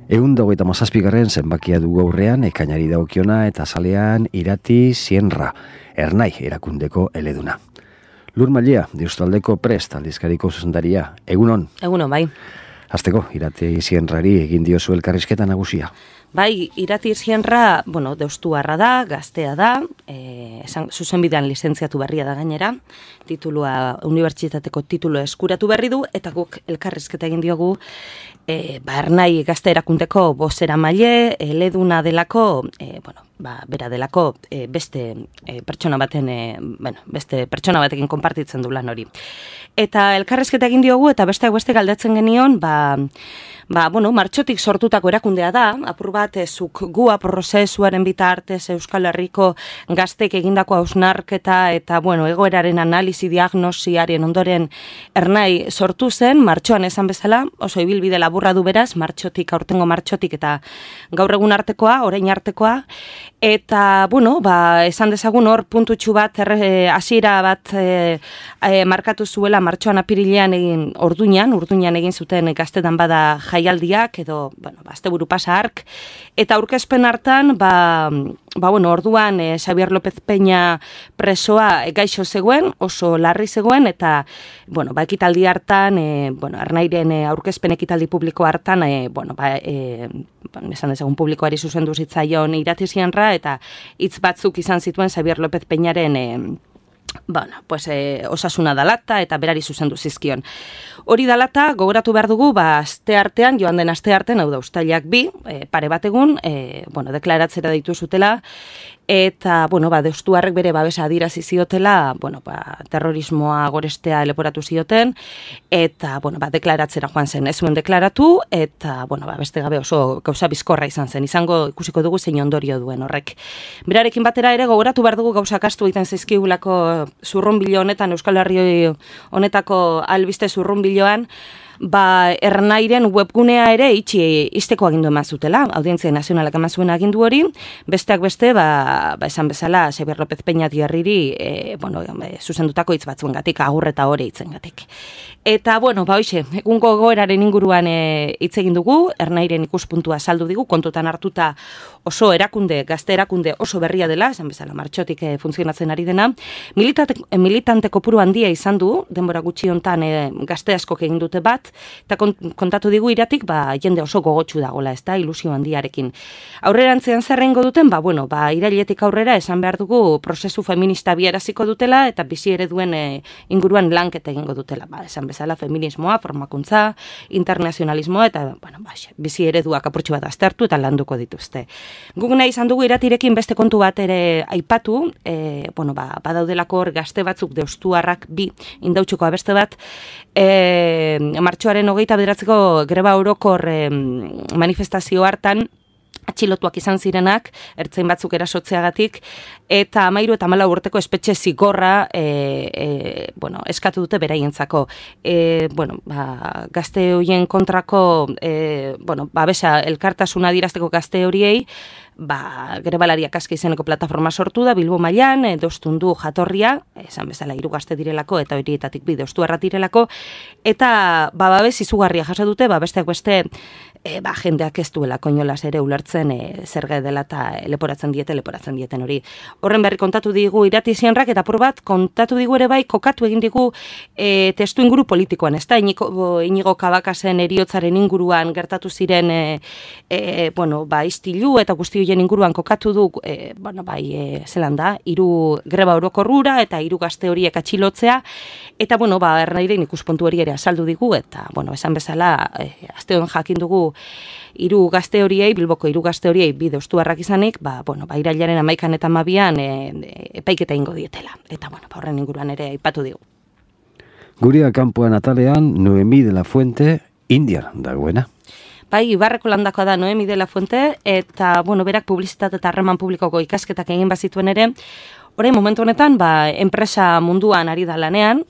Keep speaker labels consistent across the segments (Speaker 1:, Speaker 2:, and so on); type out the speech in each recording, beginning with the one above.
Speaker 1: 127. zenbakia du gaurrean, ekainari dagokiona eta zalean Irati Sienra, Ernai erakundeko eleduna. Lur Mailea, Deustaldeko Prest aldizkariko zuzendaria. Egunon?
Speaker 2: Egunon, bai.
Speaker 1: Hasteko, Irati Sienrari egin diozu elkarrizketa nagusia.
Speaker 2: Bai, Irati Sienra, deustuarra da, gaztea da, zuzenbidean lizentziatu berria da gainera, unibertsitateko titulu eskuratu berri du, eta guk elkarrizketa egin diogu, Ernai gazte erakundeko bozeramaile, eleduna delako, bera delako beste pertsona batekin konpartitzen du lan hori. Eta elkarrizketa egin diogu, eta besteak beste galdetzen genion, martxotik sortutako erakundea da, apur bat zuk gua prozesuaren bitartez Euskal Herriko gaztek egindako hausnarketa eta egoeraren analizi diagnosiaren ondoren Ernai sortu zen, martxoan esan bezala, oso ibilbide laburra du beraz, aurtengo martxotik eta gaur egun artekoa, orain artekoa, eta, esan dezagun hor puntutxu bat, hasiera bat markatu zuela martxoan apirilean egin urduñan egin zuten gaztetan bada jaialdiak, edo, asteburu pasa hark, eta aurkezpen hartan, orduan Xabier López Peña presoa gaixo zegoen, oso larri zegoen, eta, ekitaldi hartan, Ernairen aurkezpen ekitaldi publiko hartan, esan dezagun publikoari zuzendu zitzaion Irati Sienra, eta hitz batzuk izan zituen Xabier López Peñaren osasuna dalata eta berari zuzendu zizkion. Hori dalata, gogoratu behar dugu, joan den aste artean, hau da, uztailak 2, pare bat egun, deklaratzera deitu zutela, eta, deustuarrek bere babesa adirazi ziotela, terrorismoa gorestea leporatu zioten, eta, deklaratzera joan zen, ez zuen deklaratu, eta, beste gabe oso gauza bizkorra izan zen, ikusiko dugu zein ondorio duen horrek. Berarekin batera ere, gogoratu behar dugu gauza kastu egiten zaizkigulako zurrunbilo honetan, Euskal Herri honetako albiste zurrunbiloan, Ernairen webgunea ere izteko agindu eman zutela, Audientzia Nazionalak eman zuen agindu hori, besteak beste, esan bezala, Xabier López Peña Diarriri, zuzendutako hitz batzuengatik, agur eta hori hitzengatik. Eta, egungo goeraren inguruan hitz egin dugu, Ernairen ikuspuntua saldu digu, kontutan hartuta oso gazte erakunde oso berria dela, esan bezala, martxotik funtzionatzen ari dena, militante kopuru handia izan du, denbora gutxi hontan gazte askok egin dute bat, eta kontatu digu Iratik, jende oso gogotsu dagoela, ez da, ilusio handiarekin. Aurrerantzean zerrengo duten, irailetik aurrera esan behar dugu prozesu feminista biaraziko dutela, eta bizi ereduen inguruan lanketa egingo dutela, esan bezala feminismoa, formakuntza, internazionalismoa, eta bizi ereduak apurtxo bat aztertu eta landuko dituzte. Guk nahi izan dugu Iratirekin beste kontu bat ere aipatu, badaudelako hor gazte batzuk deustuarrak 2 indautxuko abeste bat, martxoaren 29 greba orokor manifestazio hartan, atxilotuak izan zirenak, ertzain batzuk erasotzeagatik, eta 13 eta 14 urteko espetxe zigorra eskatu dute beraientzako. Gazte horien kontrako, babesa elkartasuna adierazteko gazte horiei, grebalariak aski izeneko plataforma sortu da, Bilbo mailan, Deustundu jatorria, esan bezala 3 gazte direlako, eta horietatik 2 deustuarra direlako, eta babes izugarria jaso dute, besteak beste, jendeak ez duela koinolaz ere ulertzen zerga dela eta leporatzen dieten hori. Horren berri kontatu digu Irati Sienrak, eta apur bat kontatu digu ere bai, kokatu egin digu testu inguru politikoan, ez da, Inigo Kabakasen heriotzaren inguruan gertatu ziren istilu eta guzti horien inguruan kokatu du, zelan da, 3 greba orokorrura eta 3 gazte horiek atxilotzea, eta, Ernairen ikuspuntu hori ere azaldu digu, eta, esan bezala, asteon jakin dugu 3 gazte horiei, Bilboko 3 gazte horiei 2 deustuarrak izanik, irailaren 11 eta 12 epaiketa ingo dietela. Eta, horren inguruan ere aipatu digu.
Speaker 1: Guria kanpoan atalean, Noemi de la Fuente, Indian dagoena.
Speaker 2: Ibarreko landakoa da Noemi de la Fuente, eta, berak publizitate eta harreman publikoko ikasketak egin bazituen ere, orain momentu honetan, enpresa munduan ari da lanean,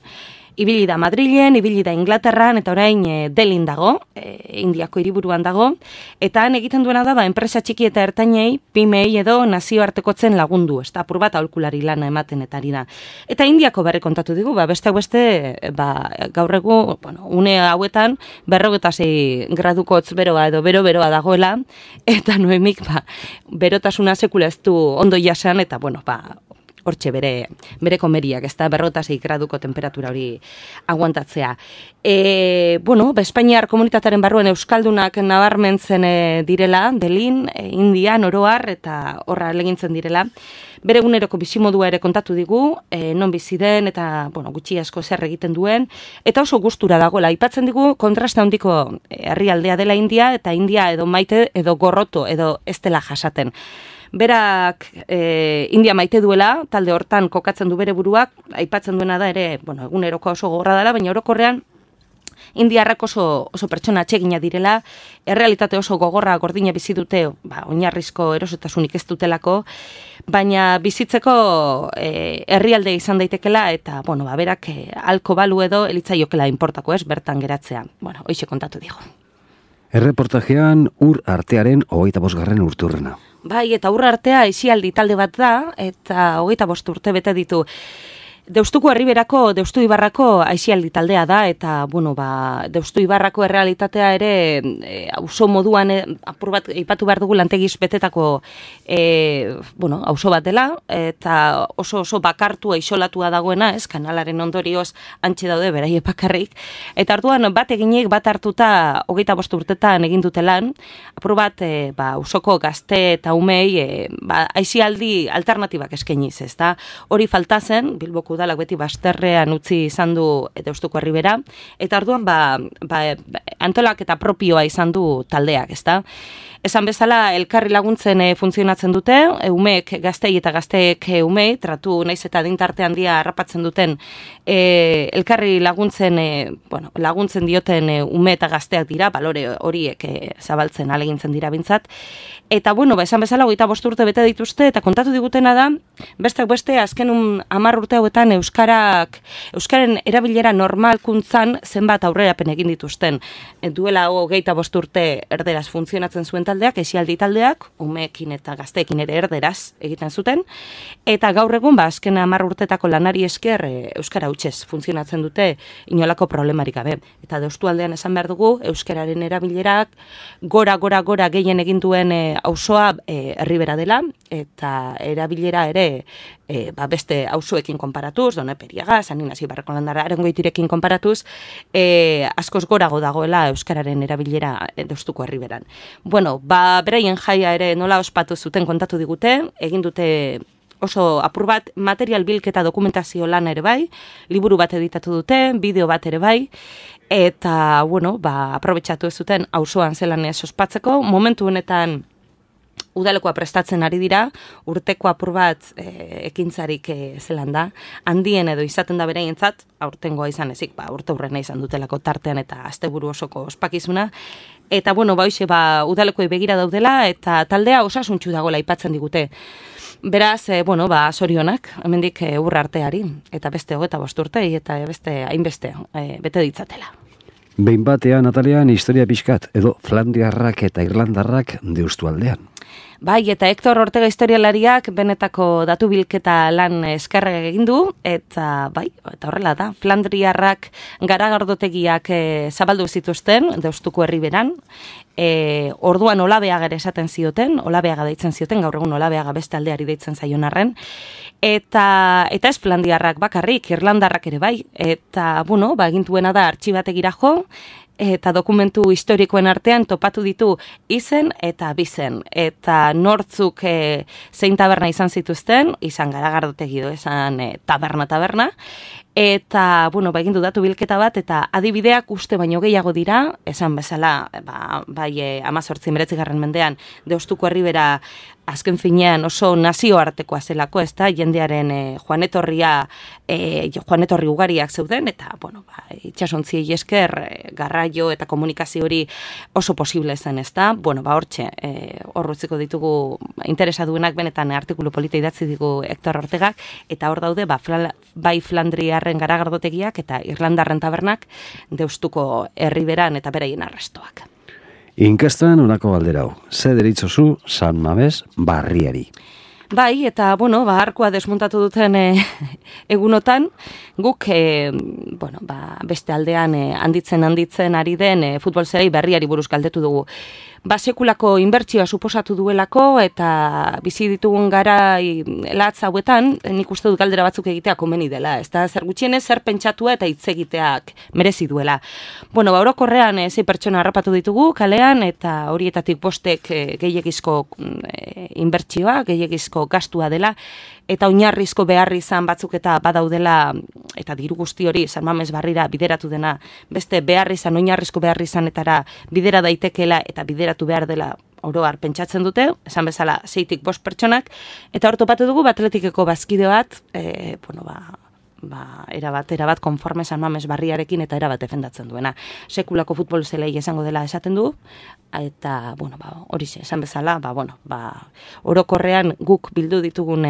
Speaker 2: Ibili da Madrilen, ibili da Inglaterran, eta orain Delhin dago, Indiako hiriburuan dago, eta han egiten duena da, enpresa txiki eta ertainei, pimei edo nazioartekotzen lagundu, ez da, apur bat aholkulari lana ematen eta ari da. Eta Indiako berri kontatu digu, beste gaur egu, une hauetan, 46 gradukotz beroa edo bero-beroa dagoela, eta Noemik, berotasuna sekula ez du ondo jasan, eta, hortxe bere komeriak, ez da, 46 graduko temperatura hori aguantatzea. Espainiar komunitatearen barruan euskaldunak nabarmentzen direla, Delhin, Indian, oroar, eta horra legintzen direla. Bere eguneroko bizimodua ere kontatu digu, non bizi den, eta gutxi asko zer egiten duen, eta oso gustura dagoela. Aipatzen digu kontrasta handiko herrialdea dela India, eta India edo maite, edo gorroto, edo ez dela jasaten. Berak India maite duela, talde hortan kokatzen du bere buruak, aipatzen duena da ere, eguneroko oso gogorra dela, baina orokorrean indiarrak oso pertsona atsegina direla, errealitate oso gogorra gordina bizi dute, oinarrizko erosotasunik ez dutelako, baina bizitzeko herrialde izan daitekela, eta, berak alko balu edo elitzaiokela inportako ez, bertan geratzea. Hoixe kontatu digo.
Speaker 1: Erreportajean ur artearen 25. urturrena.
Speaker 2: Bai, eta ur artea aisialdi talde bat da, eta 25 urte bete ditu. Deustuko Herriberako, Deustu Ibarrako aisialdi taldea da, eta, Deustu Ibarrako errealitatea ere auzo moduan, apur bat, ipatu behar dugu lantegiz betetako auzo bat dela, eta oso bakartua, isolatua dagoena, kanalaren ondorioz antxe daude beraie bakarrik, eta orduan bat eginek, bat hartuta 25 urtetan egin dutelan, apur bat, auzoko gazte eta umei, aisialdi alternatibak eskainiz, ez da? Hori falta zen, Bilboko udalak beti bazterrean utzi izan du Deustuko Herribera, eta orduan antolak eta propioa izan du taldeak, ezta? Esan bezala, elkarri laguntzen funtzionatzen dute, umeek gaztei eta gazteek umei, tratu naiz eta dintarte handia harrapatzen duten, elkarri laguntzen dioten ume eta gazteak dira, balore horiek zabaltzen alegintzen dira bintzat, eta esan bezala, 25 urte bete dituzte, eta kontatu digutena da, besteak beste, azken 10 urte hauetan euskaren erabilera normalkuntzan zenbat aurrerapen egin dituzten. Duela 25 urte erderaz funtzionatzen zuen taldeak, aisialdi taldeak, umeekin eta gazteekin ere erderaz egiten zuten, eta gaur egun, azken 10 urtetako lanari esker euskara hutsez funtzionatzen dute inolako problemarik gabe. Eta Deustualdean esan behar dugu, euskararen erabilerak gora gehien egin duen auzoa Herribera dela, eta erabilera ere beste auzoekin konparatuz, Doneperiaga, San Ignacio Barrako Landara, Arangoitirekin konparatuz, askoz gorago dagoela euskararen erabilera Deustuko Herriberan. Beraien jaia ere nola ospatu zuten kontatu digute, egin dute oso apur bat material bilketa dokumentazio lana ere bai, liburu bat editatu dute, bideo bat ere bai, eta, aprobetxatu ez zuten auzoan zelan ez ospatzeko, momentu honetan udalekoa prestatzen ari dira, urteko apur bat ekintzarik zelan da, handien edo izaten da beraientzat, aurtengoa izan ezik, urte hurrena izan dutelako tartean eta asteburu osoko ospakizuna, eta udalekoei begira daudela, eta taldea osasuntxu dagoela aipatzen digute. Beraz, sorionak, hemendik urra arteari, eta beste 25 urtei, eta beste hainbeste bete ditzatela.
Speaker 1: Behin batean, Natalian, historia pixkat, edo Flandiarrak eta Irlandarrak Deustualdean.
Speaker 2: Bai, eta Hector Ortega historialariak benetako datu bilketa lan eskerre egin du, eta horrela da, Flandriarrak garagardotegiak zabaldu zituzten, Deustuko Herriberan, orduan Olabeaga ere esaten zioten, Olabeaga deitzen zioten, gaur egun Olabeaga beste aldeari deitzen zaion arren, eta ez Flandiarrak bakarrik, Irlandarrak ere bai, eta, egin duena da artxibategira jo, eta dokumentu historikoen artean topatu ditu izen eta bizen. Eta nortzuk zein taberna izan zituzten, izan Garagardotegi edo esan taberna, eta, egin du datu bilketa bat, eta adibideak uste baino gehiago dira, esan bezala, 18-19 mendean, Deustuko Herribera azken finean oso nazioartekoa zelako, ez da, jendearen joanetorri ugariak zeuden, eta, itxasontziei esker, garraio eta komunikazio hori oso posible zen, ez da, hortxe, horrutziko ditugu interesaduenak benetan artikulu polita idatzi digu Hector Ortegak, eta hor daude, bai Flandriarren Espainiarren garagardotegiak eta Irlandarren tabernak Deustuko herriberan eta beraien arrestoak.
Speaker 1: Inkestan honako galdera hau, ze deritzozu San Mames barriari?
Speaker 2: Bai, eta, arkua desmontatu duten egunotan, guk, beste aldean handitzen ari den futbol zelai berriari buruz galdetu dugu. Sekulako inbertsioa suposatu duelako eta bizi ditugun garai latz hauetan, nik uste dut galdera batzuk egitea komeni dela, ez da zer gutxienez zer pentsatua eta hitz egiteak merezi duela. Orokorrean 6 pertsona harrapatu ditugu kalean eta horietatik 5 gehiegizko inbertsioa, gehiegizko gastua dela, eta oinarrizko beharri izan batzuk eta badaudela, eta diru guzti hori San Mames barrira bideratu dena, beste beharri izan, oinarrizko beharri izanetara bidera daitekela eta bideratu behar dela oroar pentsatzen dute, esan bezala 6tik 5 pertsonak, eta hor topatu dugu Atletikeko bazkide bat, erabat konforme San Mames barriarekin eta erabat defendatzen duena. Sekulako futbol zelei esango dela esaten du, eta, horixe, esan bezala, orokorrean guk bildu ditugun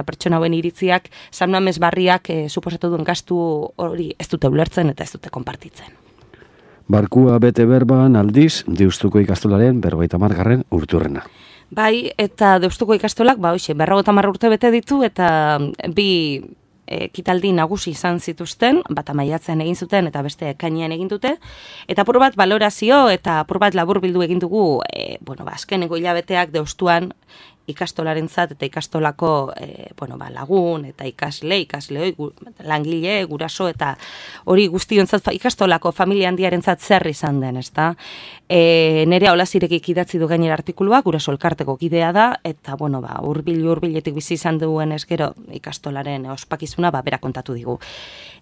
Speaker 2: pertsona hauen iritziak, San Mames barriak suposatu duen gastu hori ez dute ulertzen eta ez dute konpartitzen.
Speaker 1: Barkua bete berban aldiz, Deustuko ikastolaren 50. urteurrena.
Speaker 2: Bai, eta Deustuko ikastolak, 50 urte bete ditu, eta bi ekitaldi nagusi izan zituzten, bata maiatzean egin zuten eta beste ekainean egin dute, eta apur bat balorazio eta apur bat laburbildu egin dugu, azkeneko hilabeteak Deustuan ikastolarentzat eta ikastolako lagun eta ikasleoi, langile, guraso eta hori guztiontzat ikastolako familia handiarentzat zer izan den, ezta? Nerea Olazirekik idatzi du gainera artikulua, guraso elkarteko kidea da, eta hurbiletik bizi izan duen eskero ikastolaren ospakizuna bera kontatu digu.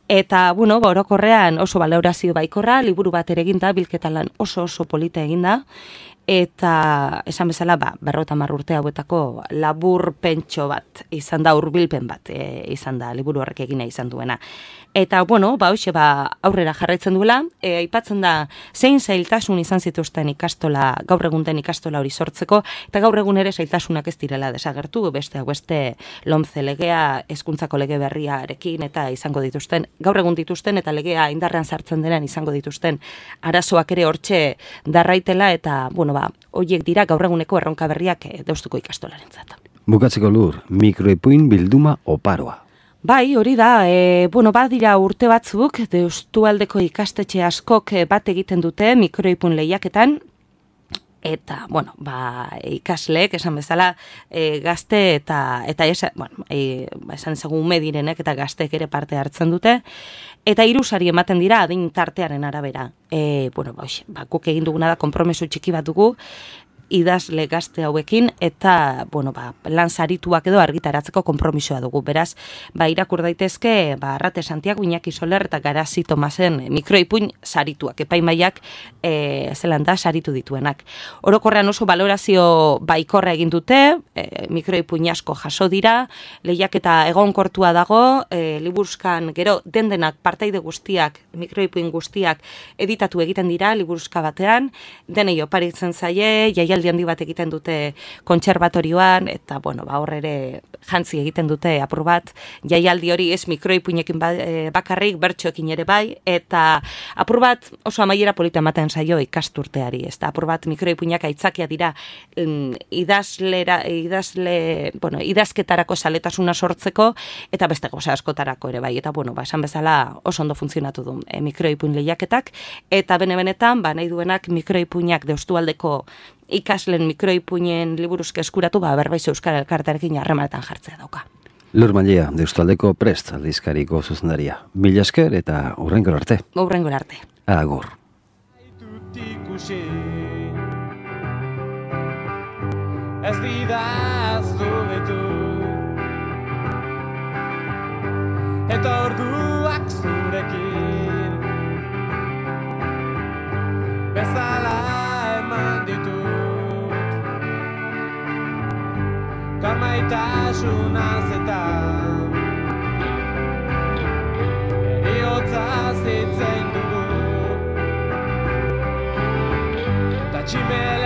Speaker 2: Eta, orokorrean oso balorazio baikorra, liburu bat ere eginda, bilketa lan oso polita eginda, eta esan bezala 50 urte hauetako labur pentso bat izan da, hurbilpen bat izan da liburu horrek egina izan duena. Eta, aurrera jarraitzen duela, aipatzen da zein zailtasun izan zituzten ikastola, gaur egun den ikastola hori sortzeko, eta gaur egun ere zailtasunak ez direla desagertu, beste LOMCE legea, hezkuntzako lege berriarekin eta izango dituzten, gaur egun dituzten eta legea indarrean sartzen denean izango dituzten arazoak ere hortxe darraitela, eta, horiek dira gaur eguneko erronka berriak Deustuko ikastolarentzat.
Speaker 1: Bukatzeko Lur, mikroipuin bilduma oparoa.
Speaker 2: Bai, hori da, badira urte batzuk, Deustualdeko ikastetxe askok bat egiten dute mikroipun lehiaketan, eta, ikasleek, esan bezala, gazte eta esan ezagun medirenek eta gazteek ere parte hartzen dute, eta 3 sari ematen dira adin tartearen arabera. Guk egin duguna da konpromesu txiki bat dugu, idazle gazte hauekin, eta, lan sarituak edo argitaratzeko konpromisoa dugu. Beraz, irakur daitezke, Arrate Santiago, Iñaki Soler eta Garazi Tomasen mikroipuin sarituak, epaimaiak saritu dituenak. Orokorrean oso balorazio baikorra egin dute, mikroipuin asko jaso dira, lehiaketa egonkortua dago, liburuzkan gero dendenak partaide guztiak, mikroipuin guztiak editatu egiten dira, liburuzka batean, denei oparitzen zaie, jaialdi handi bat egiten dute kontserbatorioan, eta, hor ere jantzi egiten dute apur bat, jaialdi hori ez mikroipuinekin bakarrik, bertsoekin ere bai, eta apur bat oso amaiera polita ematen zaio ikasturteari, ez da, apur bat mikroipuinak aitzakia dira idazketarako saletasuna sortzeko, eta beste goza askotarako ere bai, eta, esan bezala oso ondo funtzionatu du mikroipuin lehiaketak, eta benetan, nahi duenak mikroipuinak Deustualdeko ikaslen mikroipuinen liburuzke eskuratu, Berbaiz Euskara Elkartearekin harremanetan jartzea dauka.
Speaker 1: Lur Mallea, Deustualdeko Prest aldizkariko zuzendaria. Mila esker eta hurrengora arte.
Speaker 2: Hurrengora arte.
Speaker 1: Agur.
Speaker 3: Ez didaztu betu eta orduak zurekin bezala eman ditut karmaitasunaz eta eriotza zitzen dugu eta tximela